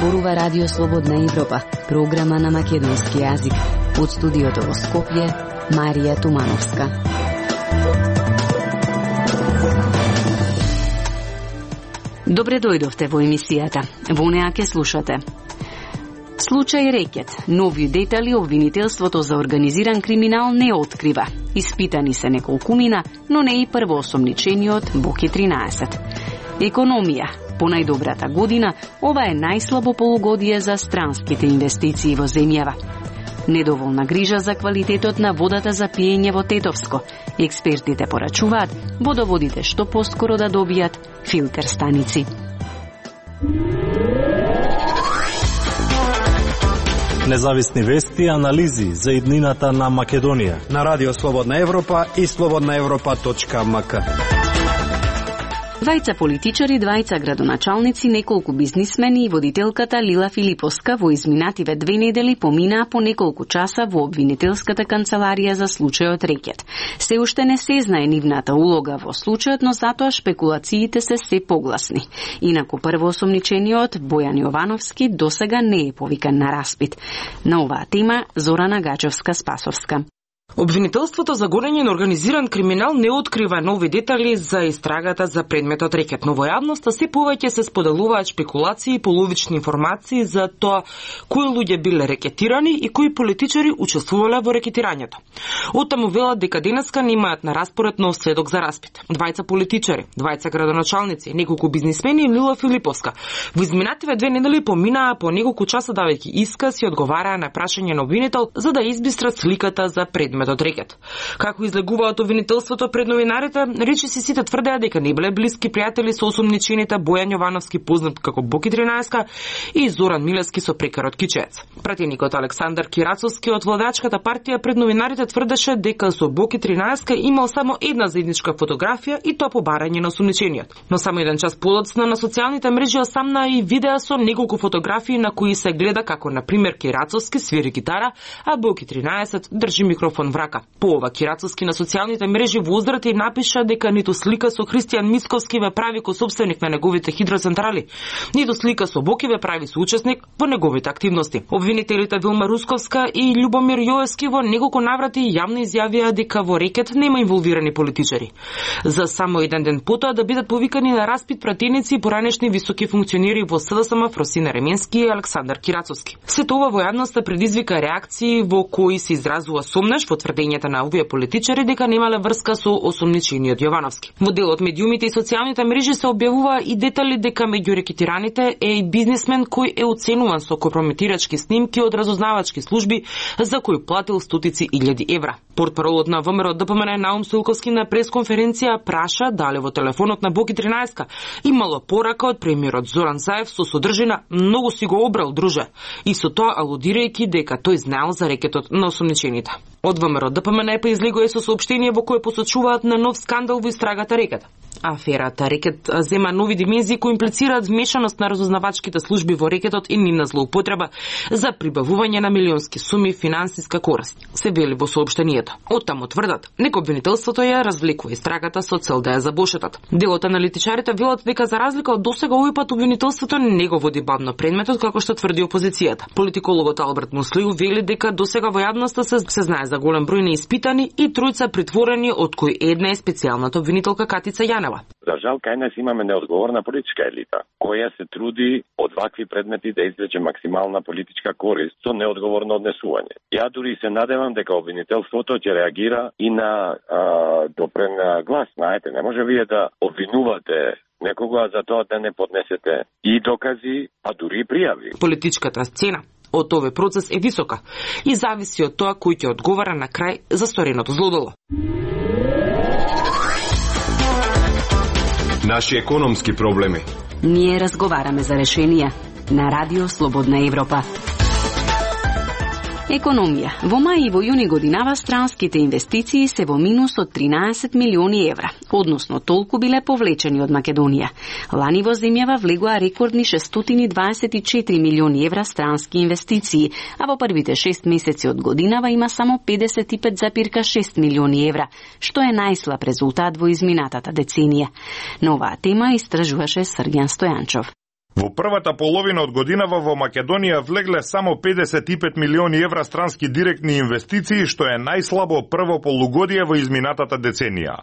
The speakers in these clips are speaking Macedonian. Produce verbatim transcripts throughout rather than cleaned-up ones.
зборува Радио Слободна Европа, програма на македонски јазик. Од студиото во Скопје, Марија Тумановска. Добре дојдовте во емисијата. Во неа ќе слушате. Случај Рекет. Нови детали обвинителството за организиран криминал не открива. Испитани се неколкумина, но не и првоосомничениот Боки тринаесет. Економија. По најдобрата година, ова е најслабо полугодие за странските инвестиции во земјава. Недоволна грижа за квалитетот на водата за пиење во Тетовско. Експертите порачуваат водоводите што поскоро да добијат филтер станици. Независни вести и анализи за иднината на Македонија на Радио Слободна Европа и слободна европа точка ем ка. Двајца политичари, двајца градоначалници, неколку бизнисмени и водителката Лила Филиповска во изминативе две недели поминаа по неколку часа во обвинителската канцеларија за случајот Рекет. Се уште не се знае нивната улога во случајот, но затоа шпекулациите се се погласни. Инаку првоосомничениот Бојан Јовановски досега не е повикан на распит. На оваа тема Зорана Гачевска-Спасовска. Обвинителството за гонење на организиран криминал не открива нови детали за истрагата за предметот Рекет, но во јавноста се повеќе се споделуваат шпекулации и половични информации за тоа кои луѓе биле рекетирани и кои политичари учествувале во рекетирањето. Оттаму велат дека денеска немаат на распоред нов сведок за распит. Двајца политичари, двајца градоначалници, неколку бизнисмени и Лила Филиповска во изминативе две недели поминаа по неколку часа давајќи исказ и одговараа на прашање на обвинител за да избистрат сликата за предметот од Рекет. Како излегуваат обвинителството пред новинарите, речиси сите тврдеа дека не биле блиски пријатели со осомничените Бојан Јовановски, познат како Боки тринаесет, и Зоран Милевски со прекарот Кичеец. Пратеникот Александар Кирацовски од владачката партија пред новинарите тврдеше дека со Боки тринаесет имал само една заедничка фотографија и тоа по барање на осомничениот. Но само еден час подоцна на социјалните мрежи осамна и видеа со неколку фотографии на кои се гледа како на пример Кирацовски свири гитара, а Боки тринаесет држи микрофон в рака. По ова Кирацовски на социјалните мрежи во уздрати напиша дека ниту слика со Христијан Мисковски ве прави косопственик на неговите хидроцентрали, ниту слика со Боки ве прави соучесник во неговите активности. Обвинителите Вилма Русковска и Љубомир Јоевски во неколку наврати јавно изјавија дека во Рекет нема инволвирани политичари. За само еден ден потоа да бидат повикани на распит пратеници и поранешни високи функционери во С Д С М Фросина Ременски и Александар Кирацовски. Сето ова во јавноста предизвика реакции во кои се изразува сомнеш во тврдењата на овие политичари дека немале врска со осомничениот Јовановски. Во делот медиумите и социјалните мрежи се објавува и детали дека меѓу рекетираните е и бизнисмен кој е оценуван со компрометирачки снимки од разузнавачки служби за кој платил стотици илјади евра. Портпаролот на ВМРО Д П М Н Наум Стоилковски на пресконференција праша дали во телефонот на Боки тринаесет имало порака од премиерот Зоран Заев со содржина "многу си го обрал, друже", и со тоа алудирајќи дека тој знаел за рекетот на осомничените. Од ВМРО Д П М Н излегува со соопштение во кое посочуваат на нов скандал во истрагата Рекет. Аферата Рекет зема нови димензии кои имплицираат вмешаност на разузнавачките служби во Рекетот и нивна злоупотреба за прибавување на милионски суми финансиска корист, се вели во соопштението. Оттаму тврдат, нека обвинителството ја развлекува истрагата со цел да ја забошетат. Дел од аналитичарите велат дека за разлика од досега овој пат обвинителството не го води бавно предметот како што тврди опозицијата. Политикологот Алберт Муслиу вели дека досега во јавноста се, се знае за голем број неиспитани и тројца притворени, од кои една е специјалната обвинителка Катица Јанева. За жал, кај нас имаме неодговорна политичка елита, која се труди од вакви предмети да извлече максимална политичка корист со неодговорно однесување. Ја дури се надевам дека обвинителството ќе реагира и на а, допрен глас. Знаете, не може вие да обвинувате некога за тоа да не поднесете и докази, а дури и пријави. Политичката сцена од овој процес е висока и зависи од тоа кој ќе одговара на крај за стореното злодело. Наши економски проблеми. Ние разговараме за решенија на Радио Слободна Европа. Економија. Во мај и во јуни годинава странските инвестиции се во минус од тринаесет милиони евра, односно толку биле повлечени од Македонија. Лани во земјава влегоа рекордни шестстотини дваесет и четири милиони евра странски инвестиции, а во првите шест месеци од годинава има само педесет и пет запирка шест милиони евра, што е најслаб резултат во изминатата деценија. На оваа тема истражуваше Срѓан Стојанчов. Во првата половина од годинава во Македонија влегле само педесет и пет милиони евра странски директни инвестиции, што е најслабо прво полугодие во изминатата деценија.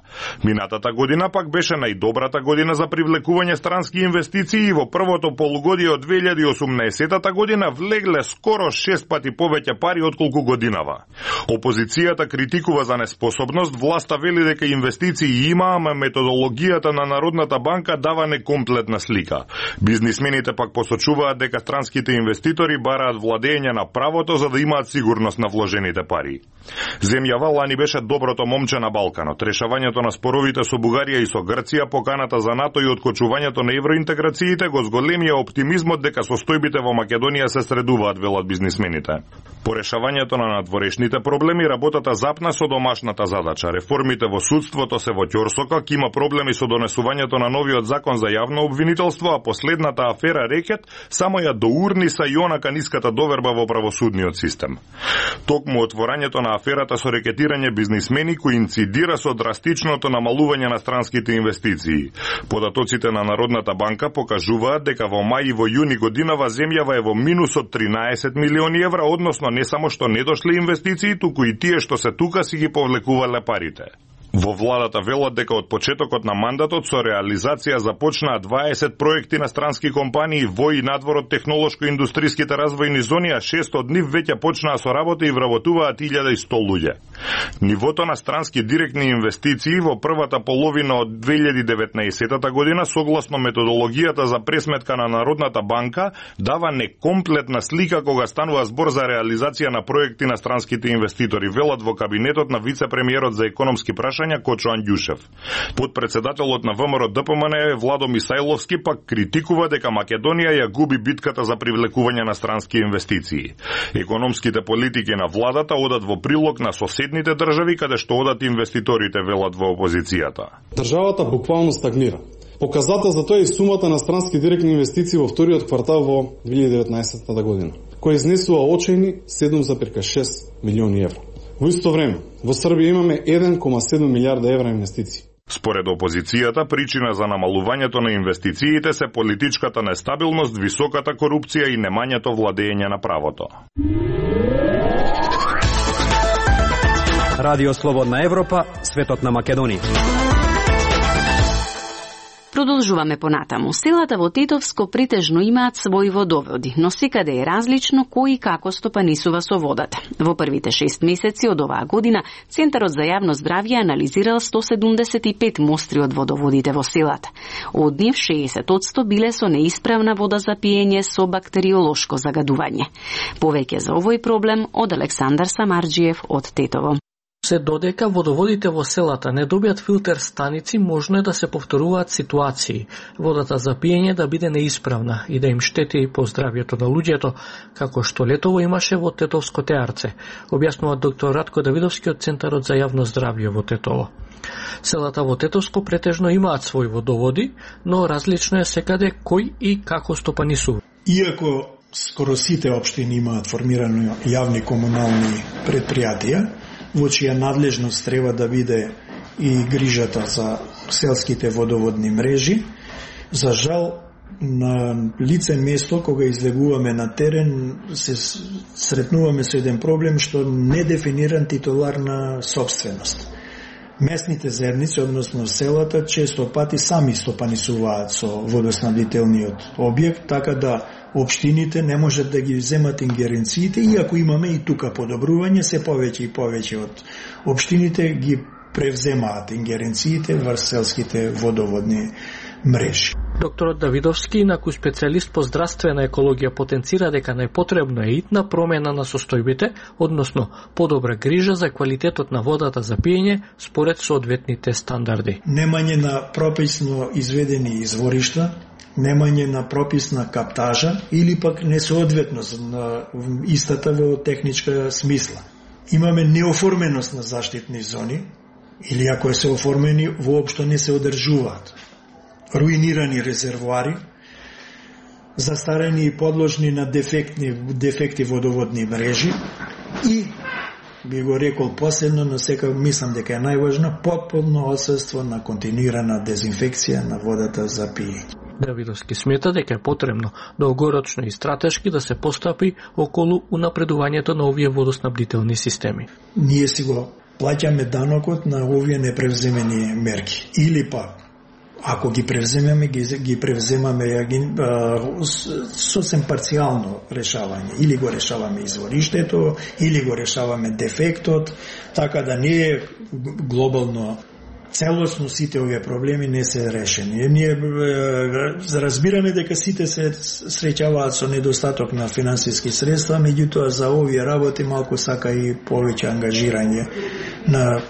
Минатата година пак беше најдобрата година за привлекување странски инвестиции и во првото полугодие од две илјади и осумнаесетата година влегле скоро шест пати повеќе пари отколку годинава. Опозицијата критикува за неспособност, власта вели дека инвестиции има, ама методологијата на Народната банка дава некомплетна слика. Бизнес Бизнисмените пак посочуваат дека странските инвеститори бараат владење на правото за да имаат сигурност на вложените пари. Земјава лани беше доброто момче на Балканот. Решавањето на споровите со Бугарија и со Грција, поканата за НАТО и откочувањето на евроинтеграциите го зголемија оптимизмот дека состојбите во Македонија се средуваат, велат бизнисмените. По решавањето на надворешните проблеми, работата запна со домашната задача. Реформите во судството се во ќорсокак, има проблеми со донесувањето на новиот закон за јавно обвинителство, а последната афера Рекет само ја доурниса и онака ниската доверба во правосудниот систем. Токму отворањето на аферата со рекетирање бизнисмени коинцидира со драстичното намалување на странските инвестиции. Податоците на Народната банка покажуваат дека во мај и во јуни годинава земјава е во минус од тринаесет милиони евра, односно не само што не дошле инвестиции, туку и тие што се тука си ги повлекувале парите. Во владата велат дека од почетокот на мандатот со реализација започнаа дваесет проекти на странски компании во и надвор од технолошко-индустриските развојни зони, а шест од нив веќе почнаа со работа и вработуваат илјада и сто луѓе. Нивото на странски директни инвестиции во првата половина од две илјади и деветнаесетата година, согласно методологијата за пресметка на Народната банка, дава некомплетна слика кога станува збор за реализација на проекти на странските инвеститори, велат во кабинетот на вице-премиерот за економски прашања Кочо Андјушев. Подпредседателот на ВМРО Д П М Н Владо Мисајловски пак критикува дека Македонија ја губи битката за привлекување на странски инвестиции. Економските политики на владата одат во прилог на соседните држави каде што одат инвеститорите, велат во опозицијата. Државата буквално стагнира. Показател за тоа е сумата на странски директни инвестиции во вториот квартал во две илјади и деветнаесетата година, која изнесува очајни седум зарез шест милиони евра. Во исто време, во Србија имаме еден кома седум милијарда евра инвестиции. Според опозицијата, причина за намалувањето на инвестициите се политичката нестабилност, високата корупција и немањето владење на правото. Радио Слободна Европа, светот на Македонија. Продолжуваме понатаму. Селата во Тетовско претежно имаат своји водоводи, но секаде е различно кој и како стопанисува со водата. Во првите шест месеци од оваа година, Центарот за јавно здравје анализирал сто седумдесет и пет мостри од водоводите во селата. Од нив шеесет одсто биле со неисправна вода за пиење со бактериолошко загадување. Повеќе за овој проблем од Александар Самарџиев од Тетово. Се додека водоводите во селата не добијат филтер станици, можно е да се повторуваат ситуации. Водата за пиење да биде неисправна и да им штети по здравјето на луѓето, како што летово имаше во Тетовско Теарце, објаснува доктор Радко Давидовски од Центарот за јавно здравје во Тетово. Селата во Тетовско претежно имаат своји водоводи, но различно е секаде кој и како стопанисува. Иако скоро сите општини имаат формирани јавни комунални предпријатија, во чија надлежност треба да биде и грижата за селските водоводни мрежи. За жал, на лице место, кога излегуваме на терен, се сретнуваме со еден проблем што не дефиниран титулар на собственост. Местните заедници, односно селата, често пати сами стопанисуваат со водоснабдителниот објект, така да општините не можат да ги земат ингеренциите, иако имаме и тука подобрување, се повеќе и повеќе од општините ги превземаат ингеренциите врз селските водоводни мрежи. Докторот Давидовски, инаку специјалист по здравствена екологија, потенцира дека најпотребно е итна промена на состојбите, односно подобра грижа за квалитетот на водата за пиење според соодветните стандарди. Немање на прописно изведени изворишта, немање на прописна каптажа или пак несоодветност на истата во техничка смисла. Имаме неоформеност на заштитни зони или ако се оформени, воопшто не се одржуваат. Руинирани резервоари, застарени и подложни на дефектни, дефекти водоводни мрежи и, би го рекол последно, но сека мислам дека е најважно, потполно отсутство на континуирана дезинфекција на водата за пиење. Давидовски смета дека е потребно долгорочно и стратешки да се постапи околу унапредувањето на овие водоснабдителни системи. Ние си го плаќаме данокот на овие непревземени мерки. Или пак, ако ги превземеме, ги, ги превземаме ги, а, сосем парцијално решавање. Или го решаваме извориштето, или го решаваме дефектот, така да не е глобално целосно сите овие проблеми не се решени. Ние разбираме дека сите се среќаваат со недостаток на финансиски средства, меѓутоа за овие работи малку сака и повеќе ангажирање на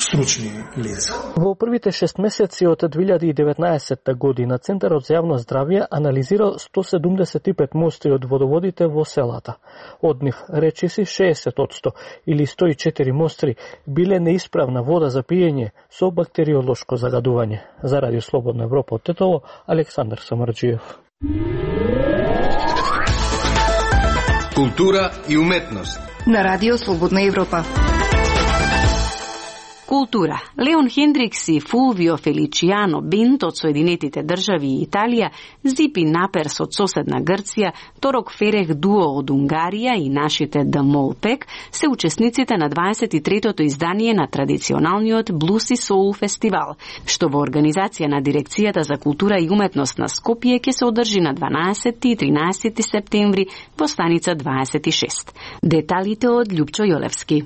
стручни лица. Во првите шест месеци од две илјади и деветнаесетта година Центарот за јавно здравје анализирал сто седумдесет и пет мостри од водоводите во селата. Од нив речиси шеесет одсто или сто и четири мостри биле неисправна вода за пиење со бактериолошко загадување. За Радио Слободна Европа од Тетово, Александар Самарџиев. Култура и уметност на Радио Слободна Европа. Култура. Леон Хендрикс и Фулвио Феличијано бенд од Соединетите држави и Италија, Зипи Наперс од соседна Грција, Торок Ферех дуо од Унгарија и нашите The Mole Pack се учесниците на дваесет и третото издание на традиционалниот Блус и Соул фестивал, што во организација на Дирекцијата за култура и уметност на Скопје ќе се одржи на дванаесети и тринаесети септември во станица дваесет и шест. Деталите од Љупчо Јолевски.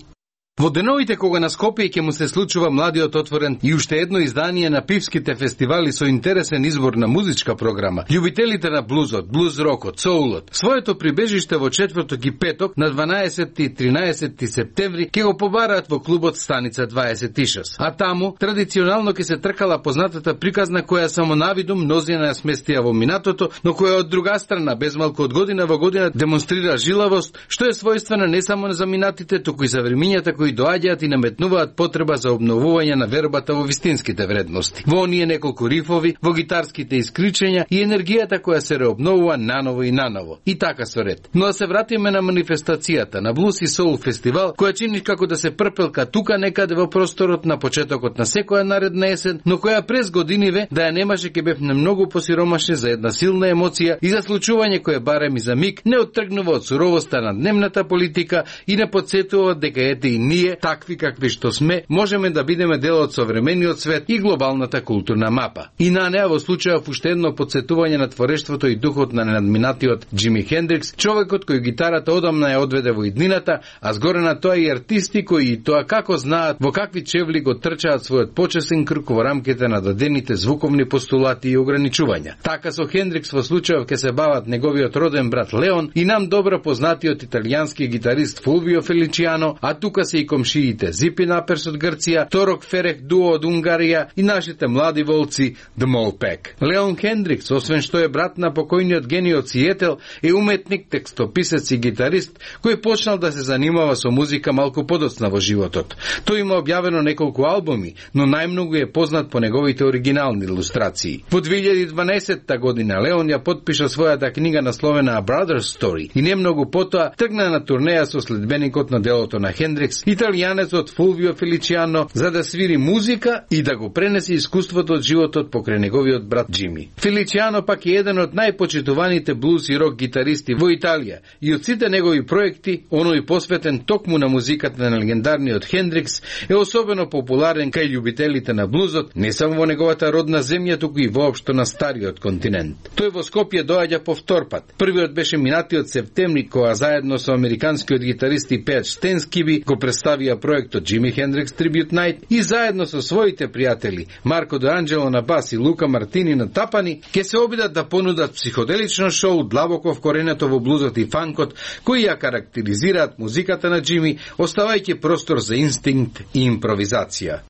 Во деновите кога на Скопје ќе му се случува младиот отворен и уште едно издание на пивските фестивали со интересен избор на музичка програма, љубителите на блузот, блуз-рокот, соулот, своето прибежиште во четврток и петок на дванаесети и тринаесети септември ќе го побараат во клубот станица дваесет и шест. А таму традиционално ќе се тркала познатата приказна која само навидум мнозина ја сместија во минатото, но која од друга страна безмалку од година во година демонстрира жилавост, што е својствена не само за минатите, туку и за времињата кои доаѓаат и наметнуваат потреба за обновување на вербата во вистинските вредности. Во оние неколку рифови, во гитарските искричења и енергијата која се реобновува наново и наново. И така со ред. Но да се вратиме на манифестацијата на Блус и Соул фестивал, која чини како да се прпелка тука некаде во просторот на почетокот на секоја наредна есен, но која през годиниве да ја немаше ќе бевме многу посиромашни за една силна емоција и за случување кое барем и за миг не оттргнува од суровоста на дневната политика и не подсетува дека ете и ние, такви какви што сме, можеме да бидеме дел од современиот свет и глобалната културна мапа. И на неа во случајов уште едно подсетување на творештвото и духот на надминатиот Џими Хендрикс, човекот кој гитарата одамна ја одведе во иднината, а згоре на тоа и артисти кои и тоа како знаат во какви чевли го трчаат својот почесен круг во рамките на дадените звуковни постулати и ограничувања. Така со Хендрикс во случајов ке се бават неговиот роден брат Леон и нам добро познатиот италијански гитарист Фулвио Феличијано, а тука се и комшиите Зипи Наперс од Грција, Торок Ферех дуо од Унгарија и нашите млади волци The Mole Pack. Леон Хендрикс, освен што е брат на покојниот гениот Сиетел, е уметник, текстописец и гитарист кој почнал да се занимава со музика малку подоцна во животот. Тој има објавено неколку албуми, но најмногу е познат по неговите оригинални илустрации. Во две илјади и дванаесетта година Леон ја подпиша својата книга насловена A Brother's Story и немногу потоа тргна на турнеја со следбеникот на делото на Хендрикс, италијанецот Фулвио Феличијано, за да свири музика и да го пренесе искуството од животот покрај неговиот брат Џими. Феличијано пак е еден од најпочитуваните блуз и рок гитаристи во Италија и од сите негови проекти, оној посветен токму на музиката на легендарниот Хендрикс, е особено популарен кај љубителите на блузот, не само во неговата родна земја, туку и воопшто на стариот континент. Тој во Скопје доаѓа по втор пат. Првиот беше минатиот септември, кога заедно со американскиот гитарист и пејач Стен Скиби го представија проектот Џими Хендрикс Tribute Night и заедно со своите пријатели Марко Де Анджело на бас и Лука Мартини на тапани ќе се обидат да понудат психоделично шоу длабоко вкоренето во блузот и фанкот, кои ја карактеризираат музиката на Џими, оставајќи простор за инстинкт и импровизација.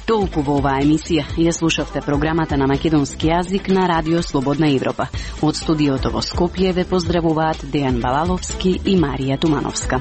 Толку во оваа емисија. Ја слушавте програмата на македонски јазик на Радио Слободна Европа. Од студиото во Скопје ве поздравуваат Дејан Балаловски и Марија Тумановска.